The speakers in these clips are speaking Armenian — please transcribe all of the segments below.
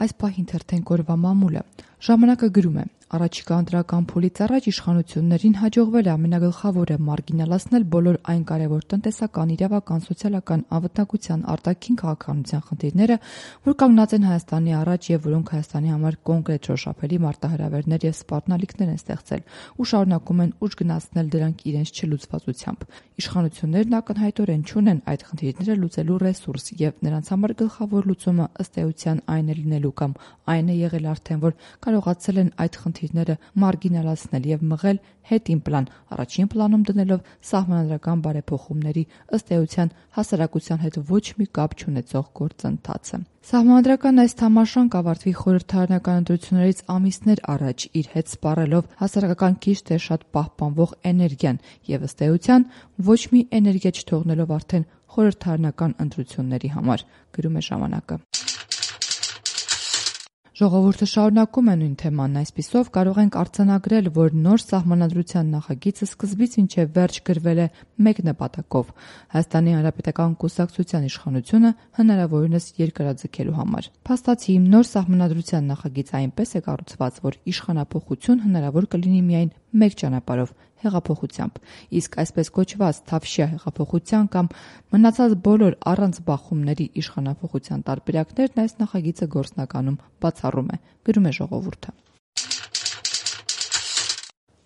Այս պահին թերթենք օրվա մամուլը։ Ժամանակը գրում է. առաջիկա ընտրական փուլից առաջ իշխանություններին հաջողվել է ամենագլխավորը մարգինալացնել բոլոր այն կարևոր տնտեսական, իրավական, սոցիալական, անվտանգության, արտաքին քաղաքականության խնդիրները, որ կանգնած են Հայաստանի առաջ եւ որոնք Հայաստանի համար կոնկրետ շոշափելի մարտահրավերներ եւ սպառնալիքներ են ստեղծել ու շարունակում են ուժ գնացնել դրանք իրենց չլուծվածությամբ։ Իշխանություններն ակնհայտորեն չունեն այդ խնդիրները լուծելու ռեսուրս եւ նրանց համար գլխավոր լուծումը ըստ էության այն է լինելու կամ այն է եղել արդեն, որ կարողացել են այդ խնդիրները մարգինալացնել եւ մղել հետին պլան, առաջին պլանում դնելով սահմանադրական բարեփոխումների ըստ էության հասարակության հետ ոչ մի կապ չունեցող գործընթացը։ Սահմանադրական այս թամաշան կավարտվի խորհրդարանական ընտրություններից ամիսներ առաջ իր հետ սպառելով հասարակական քիչ թե շատ պահպանվող էներգիան եւ ըստ էության ոչ մի էներգիա չթողնելով արդեն խորհրդարանական ընտրությունների համար, գրում է ժամանակը։ Ժողովուրդը շարունակում է նույն թեմանն, այսպիսով կարող ենք արձանագրել, որ նոր սահմանադրության նախագիծը սկզբից մինչև վերջ գրվել է մեկ նպատակով՝ Հայաստանի Հանրապետական կուսակցության իշխանությունը հնարավորինս երկարաձգելու համար։ Փաստացի, նոր սահմանադրության նախագիծը այնպես է կառուցված, որ իշխանափոխություն հնարավոր կլինի միայն մեկ ճանապարհով՝ հեղափոխությամբ, իսկ այսպես կոչված թավշյա հեղափոխության կամ մնացած բոլոր առանց բախումների իշխանափոխության տարբերակներն այս նախագիծը գործնականում բացառում է, գրում է ժողովուրդը։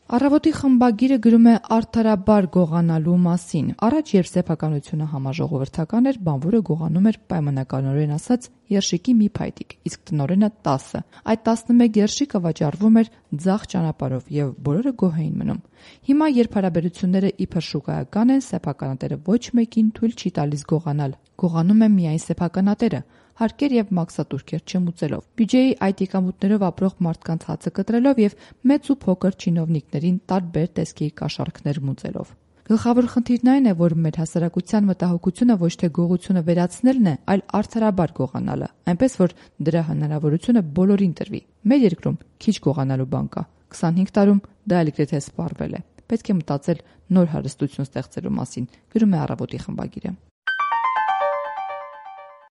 Առավոտի խմբագիրը գրում է արդարաբար գողանալու մասին։ Առաջ, երբ սեփականությունը համաժողովրդական էր, բանվորը գողանում էր պայմանականորեն ասած երշիկի մի փայտիկ, իսկ տնօրենը 10։ Այդ 11 երշիկը վաճառվում էր ձախ ճանապարհով եւ բոլորը գոհ էին մնում։ Հիմա, երբ հարաբերությունները իբր շուկայական են, սեփականատերը ոչ մեկին թույլ չի տալիս գողանալ։ Գողանում է միայն սեփականատերը, հարկեր եւ մաքսատուրքեր չմուծելով, բյուջեի այդ եկամուտներով ապրող մարդկանց հացը կտրելով եւ մեծ ու փոքր չինովնիկներին տարբեր տեսքի կաշառքներ մուծելով։ Գլխավոր խնդիրն այն է, որ մեր հասարակության մտահոգությունը ոչ թե գողությունը վերացնելն է, այլ արդարաբար գողանալը, այնպես որ դրա հնարավորությունը բոլորին տրվի։ Մեր երկրում քիչ գողանալու բան կա, 25 տարում դա էլ գրեթե սպառվել է։ Պետք է մտածել նոր հարստություն ստեղծելու մասին, գրում է Առավոտի խմբագիրը։